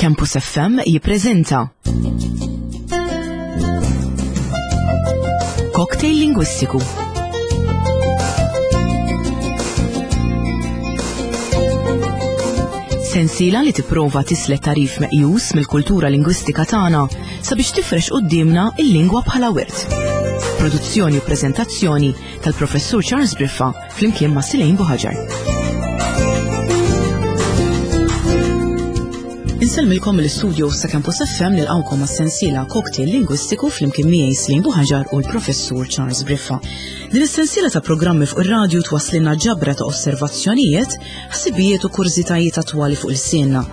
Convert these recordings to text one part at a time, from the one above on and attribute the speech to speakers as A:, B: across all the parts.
A: Campus FM jippreżenta Cocktail Lingwistiku. Sensiela li tipprova tislet tarif meqjus mill-kultura lingwistika tagħna sabiex tifrex quddiemna il-lingwa bħala wirt. Produzzjoni u preżentazzjoni tal-Professur Charles Briffa flimkien ma' Silejn Buħaġar. Insellmilkom mill-istudio sa' Campus FM nilqawkom għas-sensiela Cocktail Lingwistiku flimkien miegħi Slin Buħaġar u l-Professur Charles Briffa. Din is-sensiela ta' programmi fuq ir-radju twasslilna ġabra ta' osservazzjonijiet, ħsibijiet u kurżitajiet attwali fuq il-sienna.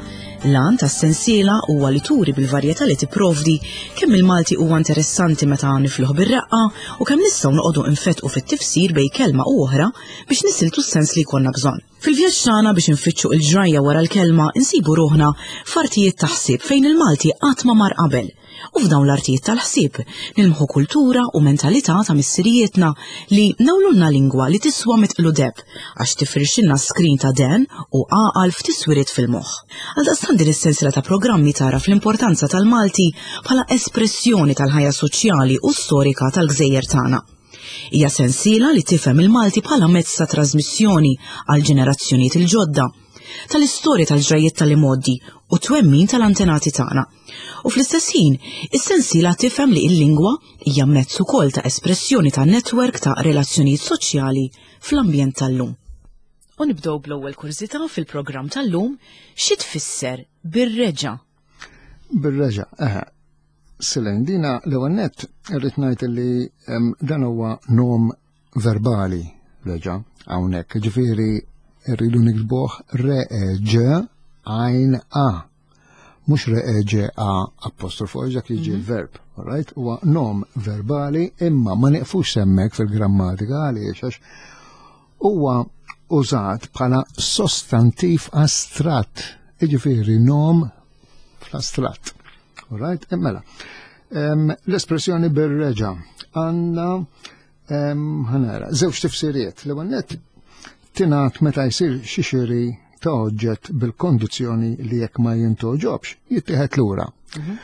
A: L-għan tas-sensiela huwa li turi bil-varjetà li tipprovdi kemm il-Malti huwa interessanti meta nifluh bir-reqqa u kemm nistgħu noqogħdu nfettqu fit-tifsir bejn kelma u oħra biex nisiltu s-sens li jkollna bżonn. Fil-vjaġġ tagħna biex infittxu il-ġrajja wara l-kelma insibu ruħna f'artijiet ta' ħsieb fejn il-Malti qatt ma mar qabel. U f'dawn l-artijiet tal-ħsieb nilmħu kultura u mentalità ta' missirijietna li nawlulna lingwa li tiswa mitqlu deb għax tifrixilna skrin ta' den u għaqal f'tiswiriet fil-moħħ. Għaldaqstant din is-sensiela ta' programmi tagħraf l-importanza tal-Malti bħala espressjoni tal-ħajja soċjali u storika tal-gżejjer tagħna. Hija sensiela li tifhem il-Malti bħala mezz ta' trasmissjoni għal ġenerazzjonijiet il-ġodda, tal-istorja tal-ġrajjiet tal-imgħoddi u twemmin tal-antenati tagħna. U fl-istess ħin, is-sensiela tifhem li l-lingwa hija mezz ukoll ta' espressjoni ta' netwerk ta' relazzjonijiet soċjali fl-ambjent tal-lum. U nibdew bl-ewwel kurżità fil-programm tal-lum, xi tfisser bir-reġa'?
B: Bir-reġa', eħe. Silen, dina l-ewwel nett irrid ngħid li dan huwa nom verbali reġa' hawnhekk. Ġifieri rridu niktbuh re e ġ għajn a. Mhux re e ġ a apostrofu għax dak jiġi mhm. l-verb, right? Huwa nom verbali imma ma nieqfux semmek fil-grammatika għaliex għax huwa użat bħala sostantiv astratt, jiġifieri nom fl-astratt. Right? E mela, l-espressjoni bir-reġa għandna ħanara, żewġ tifsiriet. L-ewwel nett tingħad meta jsir xi xiri ta' oġġett bil-kondizzjoni li jekk ma jintoġobx, jittieħed lura. Mhm.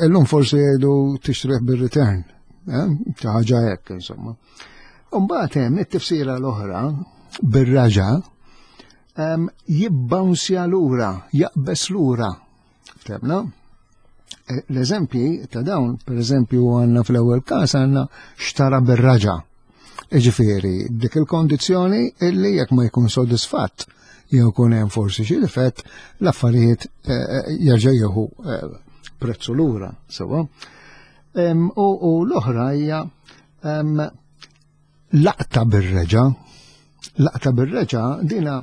B: Illum forsi jgħidu tixtrih bir-return, eh? ta' ħaġa hekk insomma. Umbagħad hemm it-tifsira l-oħra bir-raġa jibbawnsja lura, jaqbes lura. Ftemna? Eh, l-eżempji ta' dawn, per eżempju, għanna fl-ewwel każ għandna xtara bir-raġa. Iġifieri, dik il-kondizzjoni illi jekk ma jkun sodisfatt jew kun hemm forsi xi difett, l-affarijiet eh, eh, jerġa' jieħu prezzu lura, sewwa. U l-oħra hija Laqta bir-reġa, laqta bir-reġa dina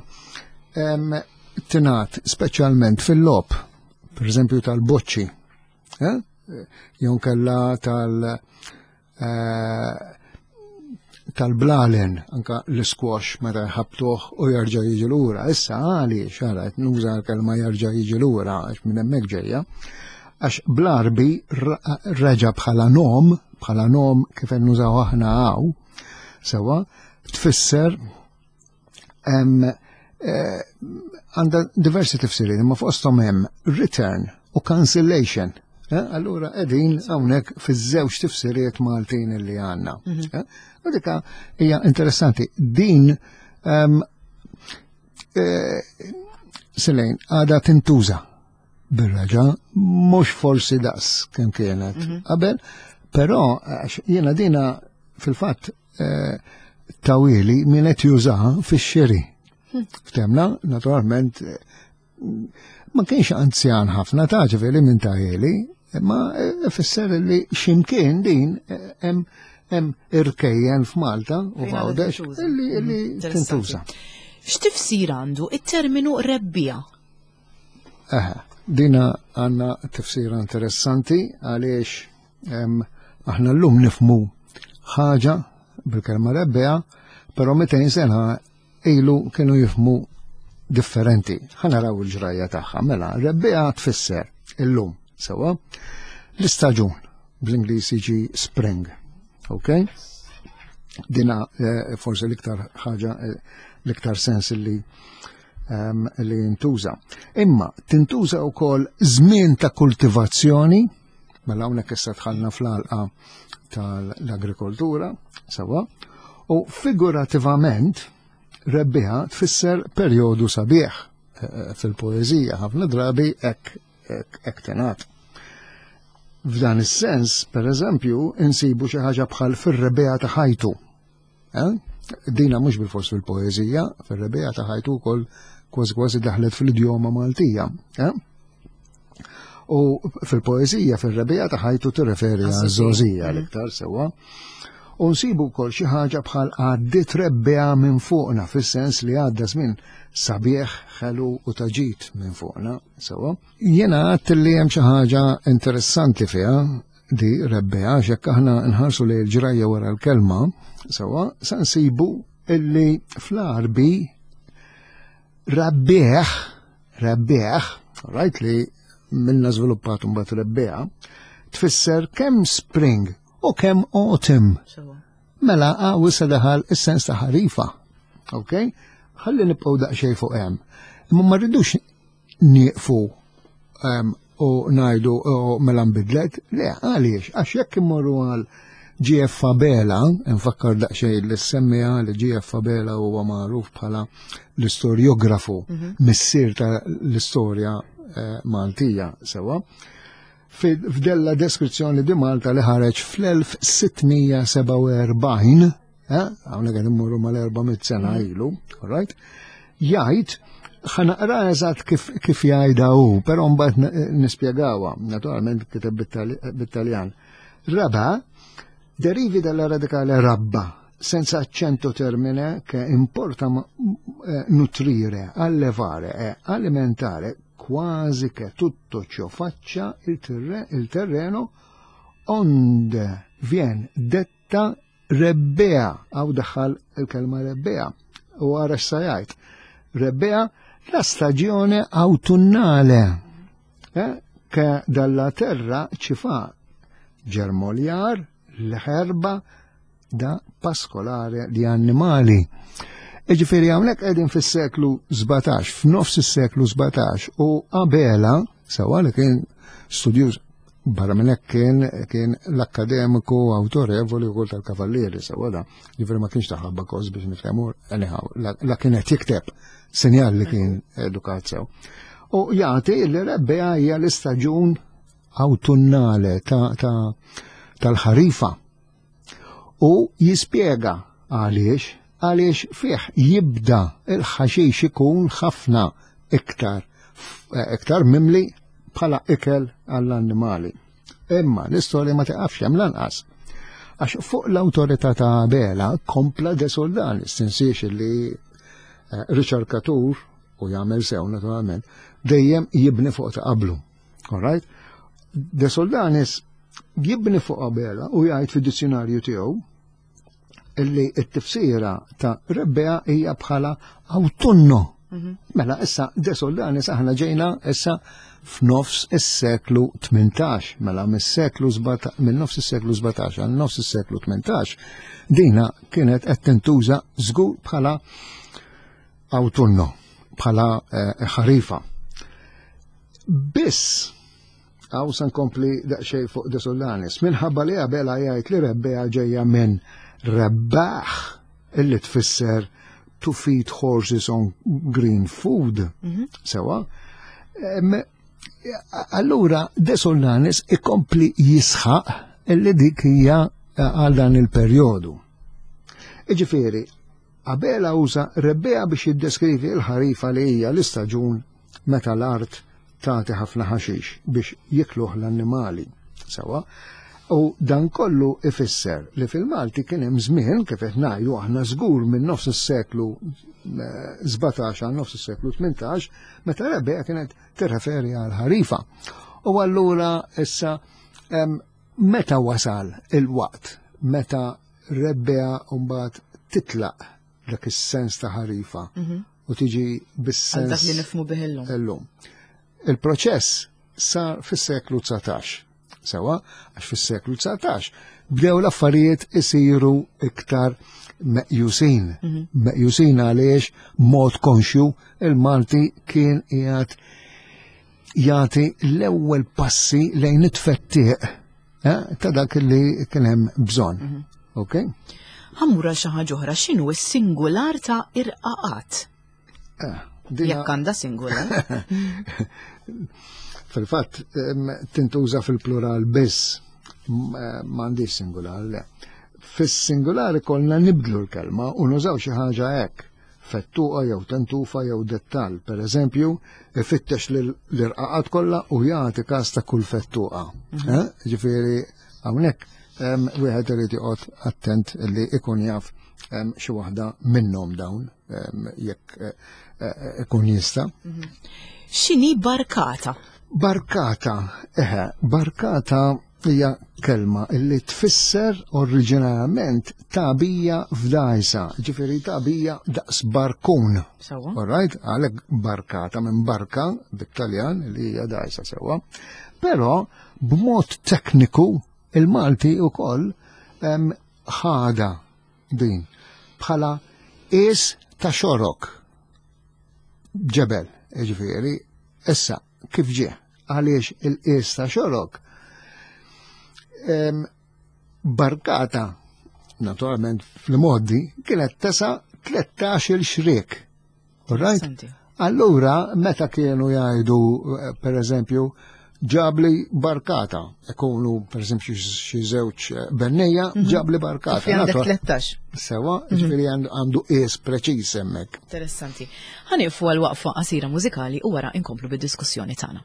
B: tingħad speċjalment fil-lob, per eżempju tal-boċċi, eh? jew kella tal- eh, tal-blalen, anka l-squash meta jħabtuh u jarġa' jiġi lura. Issa għaliex ara qed nuża l-kelma jarġa' jiġi lura għax minn hemmhekk ġejja. Għax bl-Arbi reġa' bħala nom, bħala nom kif qed nużaw aħna hawn, sewwa, tfisser eh, għandha diversi tifsiriet, imma fosthom hemm return u cancellation. Eh, allura qegħdin hawnhekk fiż-żewġ tifsiriet Maltin li għandna. Mhm. Eh, u dika hija interessanti. Din Selejn, għada tintuża bir-raġa, mhux forsi daqs kemm kienet mhm. qabel, però jiena dina fil-fatt eh, tawili min qed jużaha fix-xiri. Hm. Ftemna, naturalment, eh, ma kienx anzjan ħafna ta' ġifieri minn tawili, imma eh, fisser li ximkien din hemm hemm irkejjen f'Malta u f'Għawdex illi mhm, tintuża.
A: X'tifsir għandu it-terminu rebbija?
B: Eħe, dina għanna tifsira interessanti għaliex aħna l-lum nifmu ħaġa bil-kelma rebbija, pero 200 sena ilu kienu jifmu differenti. Ħa naraw il-ġrajja tagħha. Mela, rebbija tfisser illum sewa l-istaġun bl-Ingliż jiġi spring. Ok? Dina eh, forsi l-iktar ħaġa eh, l-iktar sens li. li jintuża. Imma tintuża wkoll żmien ta' kultivazzjoni, mela hawnhekk issa dħalna fl-għalqa tal-agrikoltura, sewa, u figurativament rebbiħa tfisser perjodu sabiħ eh, eh, fil-poeżija ħafna drabi hekk hekk tingħad. F'dan is-sens, per eżempju, insibu xi ħaġa bħal fir-rebbiegħa ta' ħajtu. Eh? Dina mhux bil-fors fil-poeżija, fir-rebbiegħa ta' ħajtu wkoll kważi kważi daħlet fl-idjoma Maltija. Eh? U fil-poeżija fir-rebbiegħa ta' ħajtu tirreferi għaż-żgħożija mm. l-iktar sewwa. U nsibu wkoll xi ħaġa bħal għaddiet rebbiegħa minn fuqna fis-sens li għadda żmien sabiħ, ħelu u taġit minn fuqna. Sewwa. Jiena għadt li hemm xi ħaġa interessanti fiha di rebbeha għax jekk aħna nħarsu lejn il-ġrajja wara l-kelma, sewwa, sa nsibu illi fl-Għarbi rabbieħ, rabbieħ, right li minna żviluppat mbagħad rebbeha, tfisser kemm spring u kemm autumn. Mela hawn issa daħal is-sens ta' ħarifa. Ok? Ħalli nibqgħu daqsxejn fuq hemm. Imma ma rridux nieqfu ehm, u ngħidu mela nbidlet, le għaliex, għax jekk immorru għal GF Fabela, nfakkar daqsxejn li semmija li GF Fabela huwa magħruf bħala l-istorjografu, mhm. missier ta' l-istorja eh, Maltija sewa. F'della deskrizzjoni di Malta li ħareġ fl-1647, eh, hawnhekk qed immorru mal-400 sena mm. ilu, all right? Jgħid ħanaqra eżatt kif, kif jgħidha hu, però mbagħad nispjegawha, naturalment kiteb bit-Taljan. Raba derivi dalla radicale rabba, senza accento termine che importa eh, nutrire, allevare e alimentare quasi che tutto ciò faccia il, terre, il terreno onde vien detta rebbea, għaw daħħal il-kelma rebbea, u għara x'sa Rebbea la stagione autunnale, eh, che dalla terra ci fa germogliar l-herba da paskolare li annimali. Iġifieri hawnhekk qegħdin fis-seklu 17, f'nofs is-seklu 17 u Abela, sewa li kien studjuż barra minn hekk kien kien l-akkademiku awtorevoli wkoll tal-Kavallieri sewa da, ġifieri ma kienx taħabba kos biex niftehmu anyhow, la kien qed jikteb sinjal li kien edukat sew. U jagħti li rebbea hija l-istaġun awtunnale tal-ħarifa. U jispjega għaliex, għaliex fih jibda il-ħaxix ikun ħafna iktar iktar mimli bħala ikel għall-annimali. Imma l-istorja ma tiqafx hemm lanqas. Għax fuq l-awtorità ta' Abela kompla De Soldanis, tinsiex li eh, riċerkatur u jagħmel sew naturalment, dejjem jibni fuq ta' qablu. All right? De Soldanis jibni fuq Abela u jgħid fid-dizzjonarju tiegħu illi t-tifsira ta' rebbea hija bħala autunno. Mhm. Mela issa De Soldanis aħna ġejna issa f'nofs is-seklu 18, mela mis-seklu minn nofs is-seklu 17 għal nofs is-seklu 18, dina kienet qed tintuża żgur bħala autunno, bħala eh, ħarifa. Biss, għaw san kompli daqxej fuq De Solanis, minħabba li Abela jgħid li rebbea ġejja minn rebbaħ illi tfisser to feed horses on green food. Mhm. Sewa. Allura De Solanis ikompli jisħaq illi dik hija eh, għal dan il-perjodu. Iġifieri, Abela uża rebbea biex jiddeskrivi l-ħarifa li hija l-istaġun meta l-art tagħti ħafna ħaxix biex jikluh l-annimali. Sewa, u dan kollu ifisser li fil-Malti kien hemm żmien kif qed ngħidu aħna żgur minn nofs is-seklu 17 eh, għal nofs is-seklu 18 meta rebbeja kienet tirreferi għal ħarifa. U allura issa meta wasal il-waqt meta rebbea mbagħad titlaq dak is-sens ta' ħarifa mhm. u tiġi bis-sens.
A: Dak li nifmu bih illum.
B: Illum. Il-proċess sar fis-seklu 19. Sewa, għax fis-seklu 19 bdew l-affarijiet isiru iktar meqjusin. Mhm. Meqjusin għaliex mod konxju il-Malti kien qiegħed jagħti l-ewwel passi lejn it-tfettiq eh, ta' dak li kien hemm bżonn. Mhm. Ok?
A: Ħammur għal xi ħaġa oħra, x'inhu s-singular ta' irqaqat? Eh, Jekk għandha singular.
B: Fil-fatt, tintuża fil-plural biss, eh, m'għandix singular, le. Fis-singular ikollna nibdlu l-kelma u nużaw xi ħaġa hekk fettuqa jew tentufa jew dettal. Per eżempju, ifittex l-irqaqat kollha u jagħti każ ta' kull fettuqa. Mhm. Eh, ġifieri hawnhekk wieħed irid joqgħod attent li ikun jaf xi waħda minnhom dawn jekk eh, eh, ikun jista'. Mhm.
A: X'inhi barkata?
B: Barkata, eħe, barkata hija kelma illi tfisser oriġinarjament tagħbija f'dgħajsa, ġifieri tagħbija daqs barkun.
A: Sewwa.
B: All right, għalhekk barkata minn barka bit-Taljan li hija dgħajsa sewwa. Però b'mod tekniku il-Malti wkoll ħada din bħala qies ta' xorok ġebel, ġifieri, issa kif ġie għaliex il-qies ta' xorok barkata naturalment fl-modi kienet tesa 13 il-xriek. Right? Allura, meta kienu jgħidu, eh, per eżempju, ġabli barkata, ikunu per eżempju xi żewġ eh, bennejja, mhm. ġabli barkata.
A: Għandek 13.
B: Sewa, mhm. ġifieri għandu qies preċiż hemmhekk.
A: Interessanti. Ħaniqfu għal waqfa qasira mużikali u wara inkomplu bid-diskussjoni tagħna.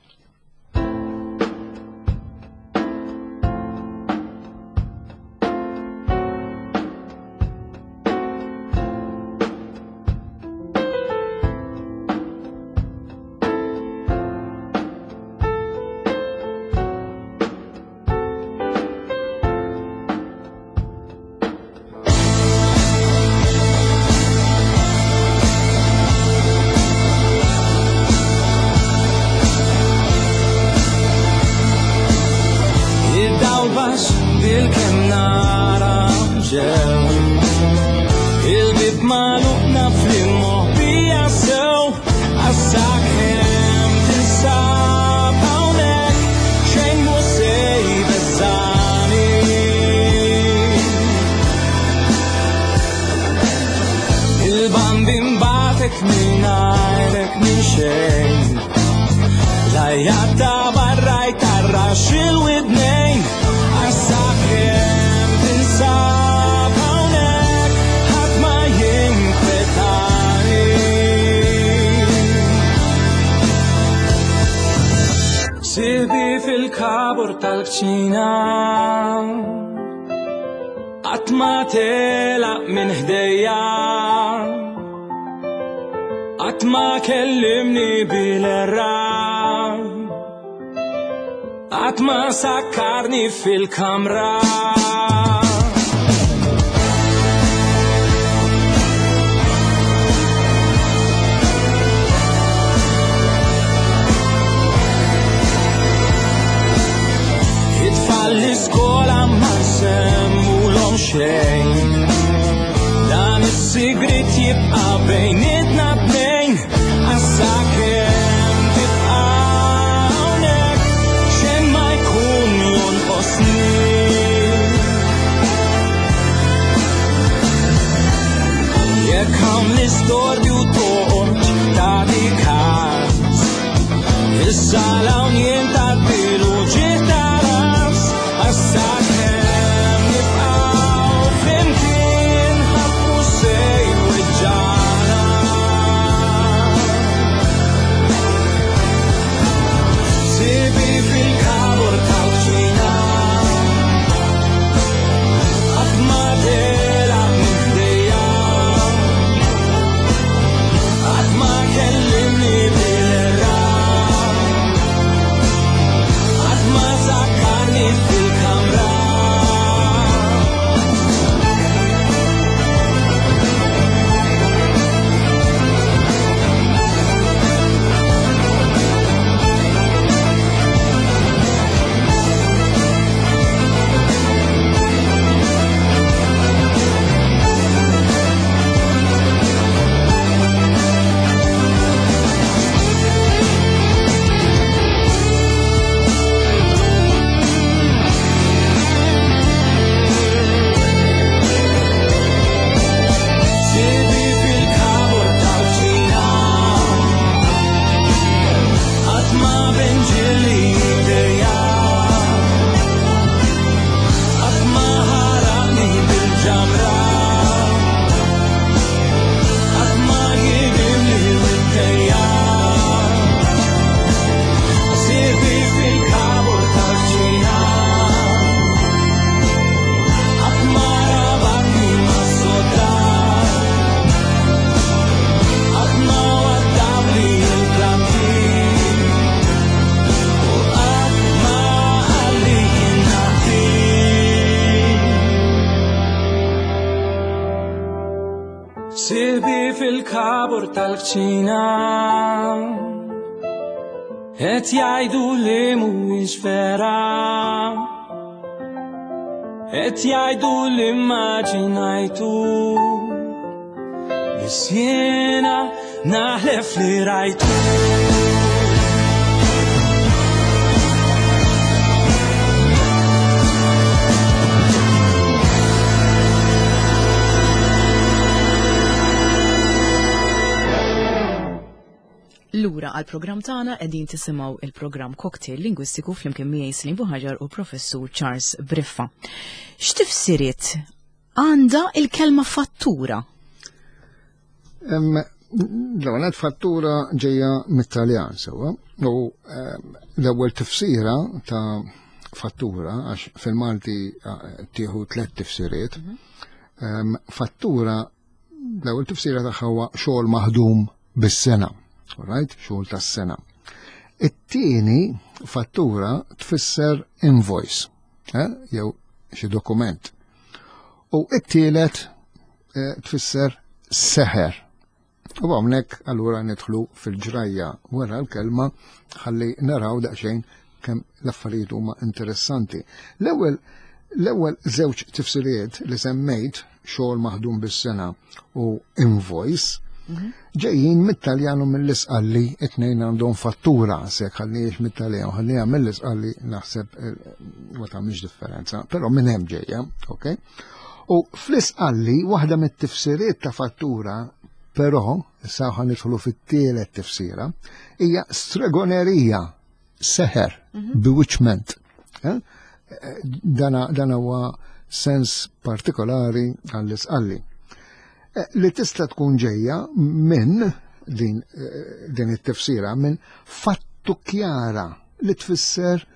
C: Fil-kabur tal-kċina Qatt ma telaq minn ħdejja Qatt ma kellimni bil-erra Qatt ma sakkarni fil-kamra It-tfal l-iskola ma nsemmulhom xejn Dan is-sigrit jibqa' bejnietna tnejn Għas-sakemm tibqa' hawnhekk xejn ma jkun jonqosni Jekk hawn l-istorbju toqgħodx tagħti każ Issa l-hawn jien tgħaddilu ġieħ ta' ras Għas-sakemm nibqgħu flimkien ħadd mhux se jweġġagħna Sibi fil-kabur tal-kċina Qatt ma telaq minn ħdejja Qatt ma kellimni bil-ra Qatt ma sakkarni fil-kamra fil-kabur tal-kċina. Et jgħidu li mhuwiex vera. Et jgħidu li immaġinajtu. Biss jiena naħlef li rajtu.
A: Lura għal programm tagħna qegħdin tisimgħu il-programm Cocktail Lingwistiku flimkien miegħi Slim Buħaġar u Professur Charles Briffa. X'tifsiriet għandha il-kelma fattura?
B: L-ewwel fattura ġejja mit-Taljan sewwa u l-ewwel tifsira ta' fattura għax fil-Malti eh, tieħu tliet tifsiriet. Mhm. Fattura l-ewwel tifsira tagħha huwa xogħol maħdum bis-sena, right? Xogħol tas-sena. It-tieni fattura tfisser invoice, eh? jew xi dokument. U it-tielet eh, tfisser seħer. U hawnhekk allura nidħlu fil-ġrajja wara l-kelma ħalli naraw daqsxejn kemm l-affarijiet huma interessanti. L-ewwel l-ewwel żewġ tifsiriet li semmejt xogħol maħdum bis-sena u invoice mhm. ġejjin mit-Taljan u mill-Isqalli it-tnejn għandhom fattura se ħalliex mit-Taljan ħallija mill-Isqalli naħseb eh, ma tagħmilx differenza, però minn hemm ġejja, ok? U fl-Isqalli waħda mit-tifsiriet ta' fattura però issa ħa nidħlu fit-tielet tifsira, hija stregonerija, seħer, mhm. bewitchment. Eh? Dana, dana huwa sens partikolari għall-isqalli. Eh, li tista' tkun ġejja minn din, eh, din it-tifsira minn fattu kjara li tfisser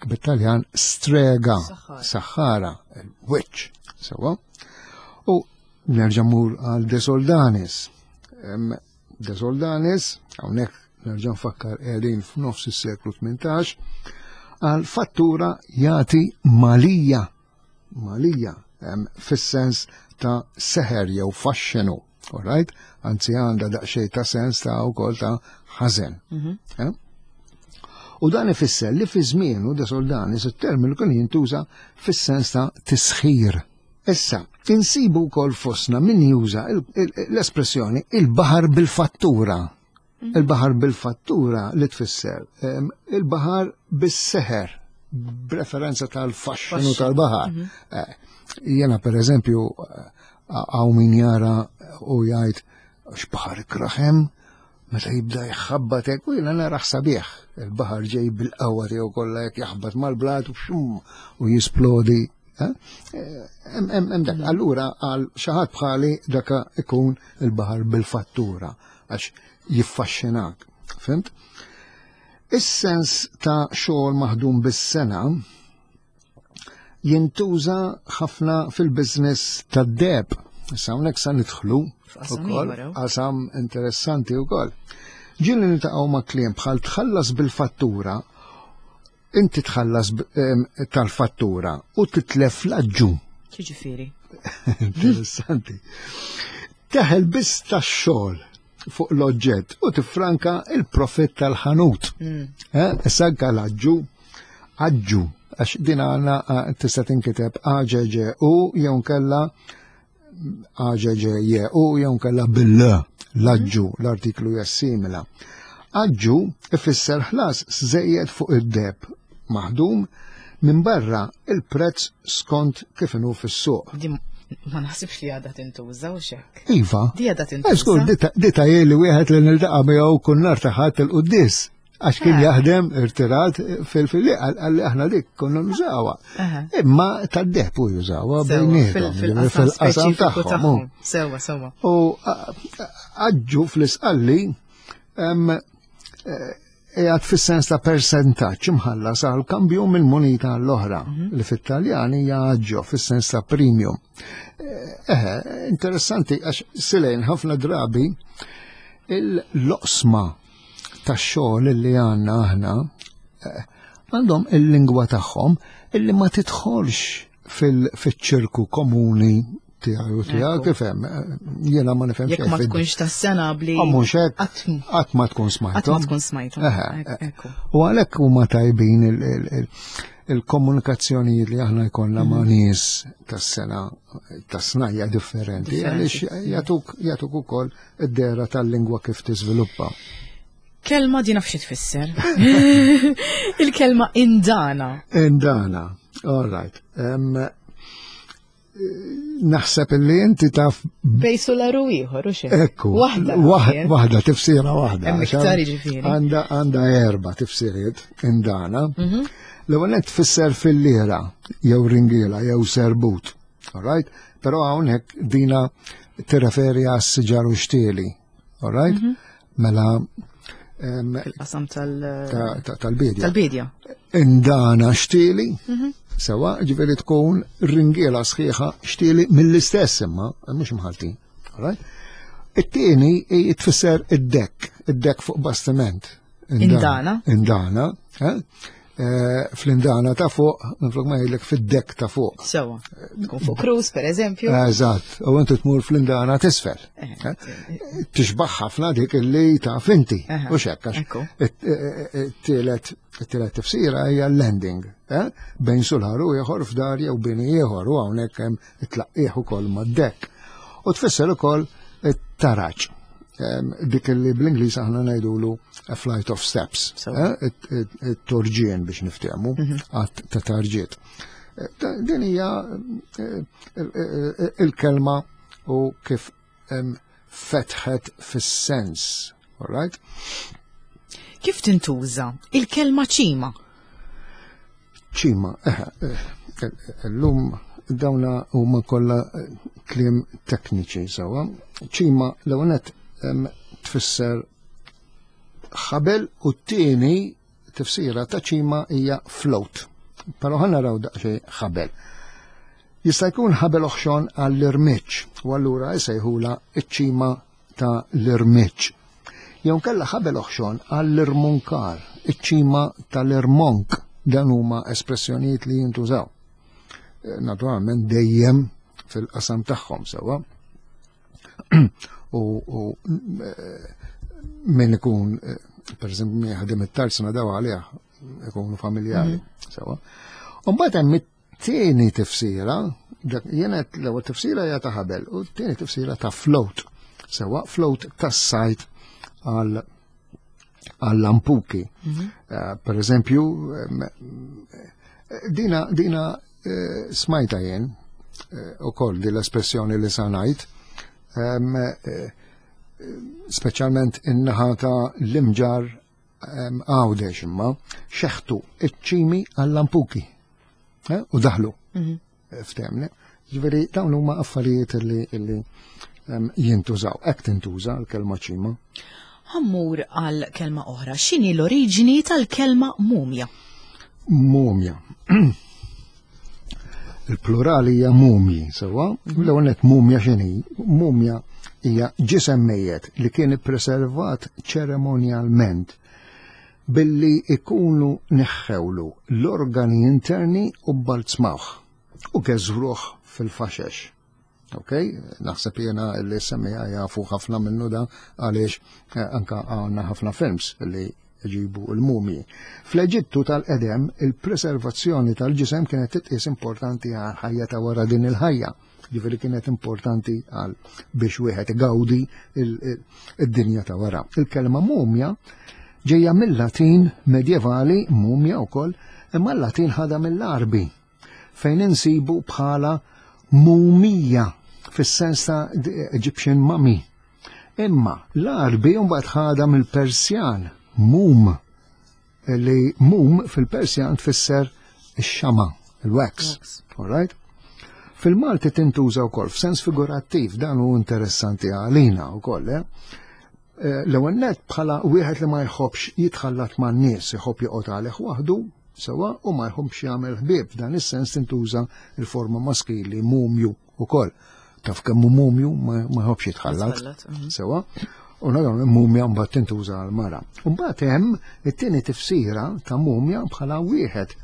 B: bit-Taljan strega, saħħara, witch, sewa. U nerġa' mur għal De Soldanis. De Soldanis, hawnhekk nerġa' nfakkar qegħdin f'nofs is-seklu 18, għal fattura jagħti malija, malija, fis-sens ta' seħer jew faxxenu, alright? Anzi għandha daqsxejn ta' sens ta' wkoll ta' ħażen. Mhm. Eh? U dan ifisser li fi żmienu De Soldanis it-terminu kien jintuża fis-sens ta' tisħir. Issa, insibu wkoll fostna min juża l-espressjoni il-baħar bil-fattura. Mhm. Il-baħar bil-fattura li tfisser il-baħar bis-seħer b'referenza tal-faxxinu tal-baħar. Mhm. Eh, jena per eżempju għaw min jara u jgħid x'baħar ikraħem meta jibda jħabbat hekk u jiena naraħ sabiħ. Il-baħar ġej bil-qawwa tiegħu kollha jekk jaħbat mal-blat u xum u jisplodi. Eh? Hemm dak. Allura għal xi ħadd bħali daka ikun il-baħar bil-fattura għax jiffaxxinak. Fimt? Is-sens ta' xogħol maħdum bis-sena jintuża ħafna fil-biznis tad-deb. Issa hawnhekk sa nidħlu ukoll qasam interessanti wkoll. Ġieli niltaqgħu ma' kliem bħal tħallas bil-fattura, inti tħallas tal-fattura u titlef l-aġġu.
A: Ġifieri.
B: Interessanti. Teħel biss tax-xogħol fuq l-oġġett u tiffranka il-profitt tal-ħanut. Mm. Eh, issa anka l-aġġu, aġġu, għax din għandna eh, tista' tinkiteb AGG u jew nkella AGG u jew nkella bil l-aġġu, mm. l-artiklu jassimila. Aġġu ifisser ħlas żejjed fuq id-deb maħdum minn barra il-prezz skont kif inhu fis-suq.
A: Ma naħsibx li għadha tintuża u xek.
B: Iva.
A: Di għadha tintuża.
B: Skur, di ta' li wieħed li niltaqa' miegħu kull nhar ta' ħadd il-quddis. Għax kien eh. jaħdem irtirat fil-fili għalli aħna dik konna nużawha. Imma tad-dehb u jużawha bejniethom fil-qasam tagħhom.
A: Sewa, sewa.
B: U aġġu fl-isqalli eh, qiegħed fis-sens ta' persentaġġ imħallas għal kambju minn munita l-oħra mhm. li fit-Taljan hija aġġo fis-sens ta' premium. Eh, eh, interessanti għax silejn ħafna drabi il-loqsma tax-xogħol li għandna aħna eh, għandhom il-lingwa tagħhom illi ma tidħolx fil-ċirku komuni. tiegħi u tiegħek ifhem, jiena ma nifhem
A: Jekk ma tkunx tas-sena bli.
B: Ah, mhux hekk qatt ma tkun smajthom.
A: Qatt ma tkun smajthom.
B: U għalhekk huma tajbin il-komunikazzjonijiet li aħna jkollna ma' mhm. nies tas-sena tas-snajja differenti għaliex jagħtuk jagħtuk ukoll id-dera tal-lingwa kif tiżviluppa.
A: Kelma di nafx tfisser. Il-kelma indana.
B: Indana, all right. Um, naħseb illi inti taf.
A: Bej solaru ieħor u xejn.
B: Ekku. Waħda. Waħda tifsira waħda.
A: Hemm iktar jiġifieri.
B: Għandha għandha erba' tifsiriet indana. Mhm. L-ewwel qed tfisser fil-lira jew ringiela jew serbut. All right? Però hawnhekk dina tirreferi għas siġar u xtieli. All right? Mhm. Mela
A: Fil-qasam
B: tal-bidja.
A: Tal-bidja.
B: Indana xtieli, mhm. sewa, ġifieri tkun ringiela sħiħa xtieli mill-istess imma, mhux imħaltin. It-tieni tfisser id-dekk, id-dekk fuq bastiment.
A: Indana.
B: Indana. Eh? Eh, fl-indana ta' fuq, minflok ma jgħidlek fid-dek ta' fuq.
A: Sewa. Tkun fuq cruise, per eżempju.
B: Eżatt, u inti tmur fl-indana tisfel. Eh, eh, Tixbaħ ħafna dik illi ta' finti. U xekk, it-tielet tifsira hija landing, bejn sulħar u ieħor f'dar jew bini ieħor u hawnhekk hemm it-tlaqqieħ ukoll mad-dekk. U tfisser ukoll it-taraġ. Dik li bl-Ingliż aħna ngħidulu a flight of steps, eh, it-torġien biex niftehmu, mhm. għat ta' tarġiet. Eh, din hija eh, il-kelma u kif fetħet fis-sens, all right?
A: Kif tintuża il-kelma ċima?
B: Ċima, eh, eh, l-lum dawna huma kollha eh, kliem tekniċi sewwa. Ċima l-ewwel tfisser ħabel u t-tieni tifsira ta' ċima hija float. Però ħa naraw daqsxejn ħabel. Jista' jkun ħabel oħxon għall-irmiġġ u allura jsejħula ċ-ċima ta' l-irmiġġ. Jew kella ħabel oħxon għall-irmunkar, iċ-ċima tal-irmonk, dan huma espressjonijiet li jintużaw. Eh, naturalment dejjem fil-qasam tagħhom sewwa. U, u eh, min ikun, eh, per eżempju, min jaħdem it-tarsna daw għalih ikunu familjari, mhm. sewwa. U mbagħad hemm Tieni tifsira, jiena l-ewwel tifsira hija ta' ħabel u t-tieni tifsira ta' float. Sewa float tas-sajt għal għall-lampuki. Mhm. Eh, per eżempju, dina, dina eh, smajta jien eh, u koll di l-espressjoni li sanajt, speċjalment in-naħa ta' l-imġar Għawdex imma xeħtu iċ-ċimi għall-lampuki eh, u daħlu mhm. eh, ftemni. Ġifieri dawn huma affarijiet li jintużaw, hekk tintuża l-kelma ċima.
A: Ħammur għal kelma oħra, x'inhi l-oriġini tal-kelma mumja?
B: Mumja. Il-plural hija mumji, sewwa? Mhm. L-ewwel nett mumja x'inhi? Mumja hija ġisem mejjet li kien ippreservat ċeremonjalment billi ikunu neħħewlu l-organi interni u bbalzmawh u geżwruh fil-faxex. Ok, naħseb jena li semmija jafu ħafna minnu da għaliex eh, anka għanna ħafna films li ġibu l-mumji. Fl-Eġittu tal-qedem, il-preservazzjoni tal-ġisem kienet titqies importanti għal ħajja ta' wara din il-ħajja. Ġifieri kienet importanti għal biex wieħed igawdi id-dinja ta' wara. Il-kelma mumja ġejja mill-Latin medjevali mumja wkoll, imma l-Latin ħadha mill-Arbi fejn insibu bħala mumija fis-sens ta' Egyptian mummy. Imma l-Arbi mbagħad ħadha mill-Persjan mum li mum fil-Persjan tfisser ix-xama, il-wax. All right? Fil-Malti tintuża wkoll f'sens figurattiv dan hu interessanti għalina wkoll, eh? eh l-ewwel nett bħala wieħed li ma jħobbx jitħallat man-nies, iħobb joqgħod għalih waħdu, Sewwa, u ma jħobbx jagħmel ħbieb, f'dan is-sens tintuża l-forma maskili mumju ukoll. Taf kemm hu mumju ma jħobbx jitħallat. Mhm. Sewwa, u naraw mumja mbagħad tintuża għal mara. Mbagħad hemm it-tieni tifsira ta' mumja bħala wieħed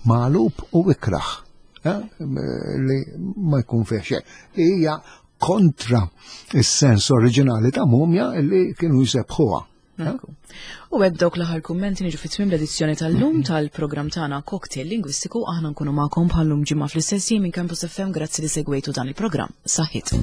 B: magħlub u ikraħ. eh, li ma jkun fih xejn. Li hija kontra is-sens oriġinali ta' mumja li kienu jsebħuha. Eh?
A: U hekk dawk l-aħħar kummenti niġu fit-tmiem l-edizzjoni tal-lum tal-programm tagħna Cocktail Lingwistiku aħna nkunu magħkom bħallum ġimgħa fl-istess minn Campus FM grazzi li segwejtu dan il-programm. Saħħit.